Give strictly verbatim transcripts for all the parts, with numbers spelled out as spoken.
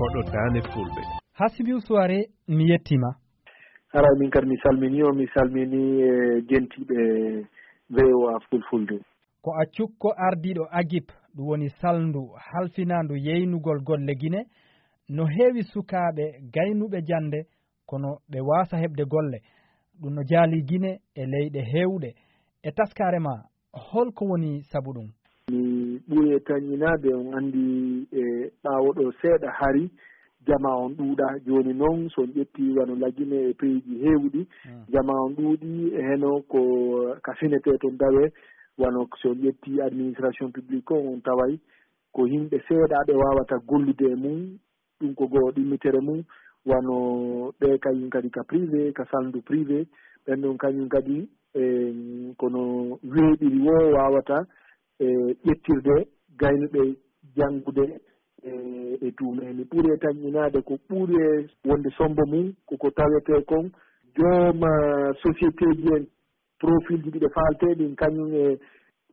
Koɗo Daande Fulɓe. Hasimiu Suware, mi yettiima. Haray min kadi mi salminii on, mi salminii e jentiiɓe V O A Fulfulde. Ko a cukko ardiiɗo agip, ɗum woni salndu halfinaandu yeynugol golle Gine. No heewi sukaaɓe gaynuɓe jannde, kono ɓe waasa heɓde golle. Ɗum no jaalii Gine e leyɗe heewɗe. E taskaare ma, holko woni sabu ɗum? Mi ɓuri e tanñinaade, on anndi e ɓaawo ɗo seeɗa hari, jama on ɗuuɗa. Jooni noon, so on ƴetti wano Lagine e peyiiji heewɗi, jama on ɗuuɗi, e heno ko ka finetee toon dawe, wano so on ƴetti administration publique on, on taway ko yimɓe seeɗa ɓe waawata gollude e mum. Ɗum ko goo ɗimmitere mum, wano ɓe kañum kadi ka privé, ka salndu privé, ɓen ɗon kañum kadi, e, kono weeɓiri woo waawata, e, ƴettirde gaynuɓe janngude, e, e duume. Mi ɓuri e tanñinaade ko ɓuri e wonde sombo mum, ko ko tawetee kon jooma société ji en, profil ji ɗi ɓe faaltee ɗin, kañum e,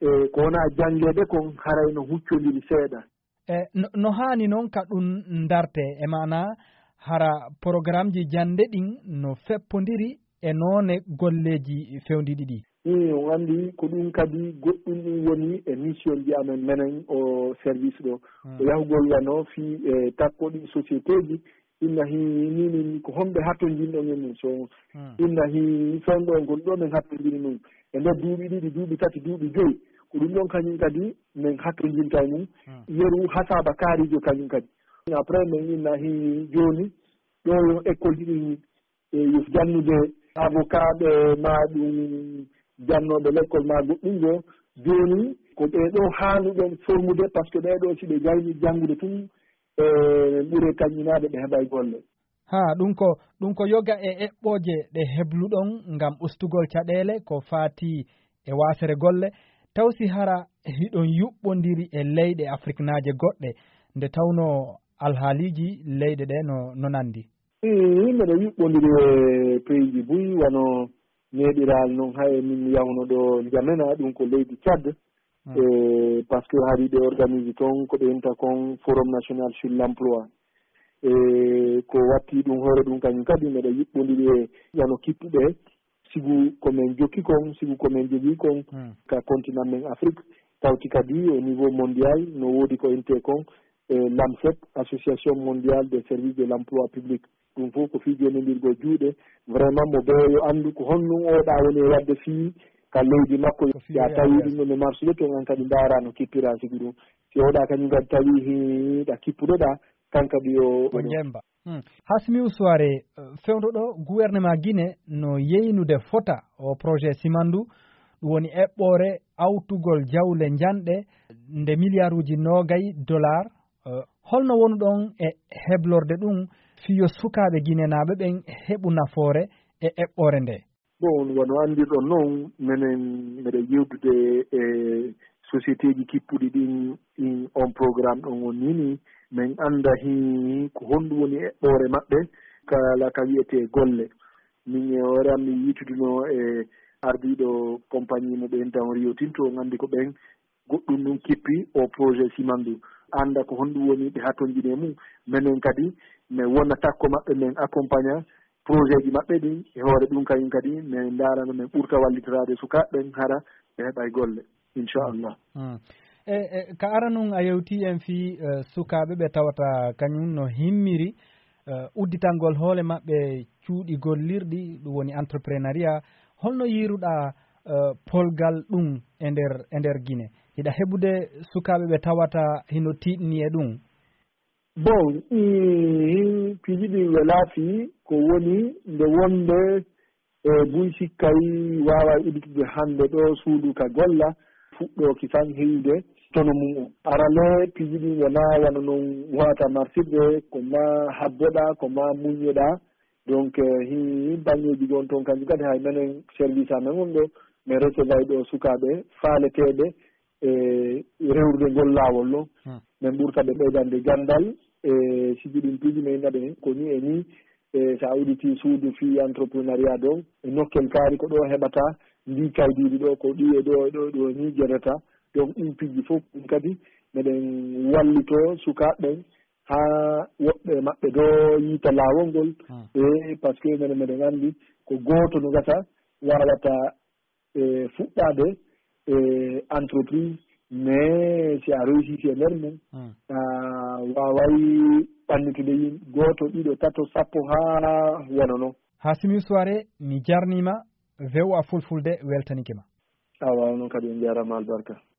e ko wonaa janngeede kon, haray no huccondiri seeɗa. E, no, no haani noon ka ɗum ndarte, e maanaa hara porogaraamji jannde ɗin no feppondiri e noone golleeji fewndiiɗi ɗi? Ii, on anndi ko ɗum kadi goɗɗum ɗum woni e mission ji amen menen o service ɗo. Hmm. Ko yahugol wano fii e takko ɗin société ji, inna hi ni, ni, ni, ko honɓe hattonjinɗon e mum? So Hmm. inna hi fewndo on, ko ɗo men hattonjini ɗum. E nder duuɓi ɗiɗi, duuɓi tati, duuɓi joyi, ko ɗum ɗon kañum kadi men hattonjinta e mum. Hmm. Yeru hasaba kaarijo kañum kadi. Après, men inna hi jooni, ɗo yo école ji ɗin, e yo jannude avocat ɓe, ma ɗum jannooɓe l'école ma goɗɗum go. Jooni, ko ɓe ɗo haanuɗen formude, parce que ɓe ɗo si ɓe gayni janngude tun, e, ɓure kañinaade ɓe heɓay golle. Haa, ɗum ko, ɗum ko yoga e eɓɓooje ɗe hebluɗon ngam ustugol caɗeele ko faati e waasere golle, taw si hara hiɗon yuɓɓondiri e leyɗe afriknaaje goɗɗe, nde tawnoo alhaaliiji leyɗe ɗe no, no nandi? Ii, meɗen yuɓɓondiri e peyiiji buy, wano neeɓiral non, hay min mi yahuno ɗo Njamena, ɗum ko leydi Tchad. Hmm. E, parce que hari ɓe organise toon ko ɓe inta kon Forum National sur l'Emploi. E, ko watti ɗum hoore ɗum kañum kadi meɗa yuɓɓondiri e wano kippuɓe, sibu ko men jokki kon, sibu ko men jogii kon Hmm. ka continent men Afrique, tawti kadi au niveau mondial no woodi ko inte kon, e, LAMSEP, Association Mondiale des Services de l'Emploi Public. Ɗum fof ko fii jonnondirgol juuɗe. Vraiment, mo ɓe yo anndu ko honɗum oɗa woni e waɗde fii ka leydi makko. Ko fii ya yo tawi yaade ɗum ɗon e marsude toon, an kadi ndaara no kippira sibu ɗum. Si oɗa kañum kadi tawi hiɗa kippuɗoɗa, kan kadi yo Ko njemba. Hmm. Hasmi Usuware, eh, fewndo ɗo, gouvernement Guinée no yeynude fota o projet Simandu, ɗum woni eɓɓoore awtugol jawle njanɗe nde miliyaaruuji noogay dollar. Eh, holno wonuɗon e heblorde ɗum fii yo sukaaɓe ginenaaɓe ɓen heɓu nafoore e eɓɓoore nde? Bon, wano anndirɗon non, menen meɗen yewtude e sociétéji kippuɗi ɗin, ɗin on programme ɗon on nini, men annda hi ko honɗum woni eɓɓoore maɓɓe, kala ka wiyetee golle. Min e hoore am mi yiituduno e ardiiɗo compagnie mo ɓe enta on Rio Tinto, on anndi ko ɓen goɗɗum ɗum kippi o projet Simandu. Annda ko honɗum woni ɓe hatonjini e mum. Menen kadi, men wona takko maɓɓe, men accompagna projet ji maɓɓe ɗin. E hoore ɗum kañum kadi, men ndaarano men ɓurta wallitoraade sukaaɓe ɓen, hara ɓe heɓay golle, inchallah. Mm. E, e, ka aranun a yewti en fii, eh, sukaaɓe ɓe tawata kañum no himmiri, eh, udditangol hoole maɓɓe cuuɗi gollirɗi, ɗum woni entrepreneuriat. Holno yiiruɗaa, eh, polgal ɗum e nder, e nder Gine? Hiɗa heɓude sukaaɓe ɓe tawata hino tiiɗni e ɗum? Bon, i, piiji ɗi welaa fii ko woni nde wonde e buy sikkay waaway udditude hannde ɗo suudu ka golla fuɗɗooki tan heyude tono mum on. Arale piiji ɗin wonaa wano non wata martirde, ko ma habboɗaa, ko ma muññoɗaa. Donc, eh, hi baŋŋeeji gon toon kanji kadi hay menen service amen on ɗo, men recevay ɗo sukaaɓe faaleteeɓe e rewrude ngol laawol ɗon. Hmm. Men ɓurta ɓe ɓeydande ganndal e siji ɗin piiji men naɓe ko ni e ni. E so a udditi suudu fii entrepreneuriat ɗon, e nokkel kaari ko ɗo heɓata ndi kaydiiri ɗo, ko ɗi e ɗo, e ɗo, e ɗo ni jeɗata. Donc, ɗin piiji fof ɗum kadi meɗen wallito sukaaɓe ɓen haa woɓɓe maɓɓe do yiita laawol ngol. E parce que menen meɗen anndi ko gooto no gasa waawata e fuɗɗaade e entreprise, mais si a réussi si e nder mum a waaway ɓannitude yimɓe gooto ɗiɗo tato sappo haa wano non. Ha simi soirée mi jarnima. Vewa fulfulde weltanike ma. Awa onon kadi on jarama albarka.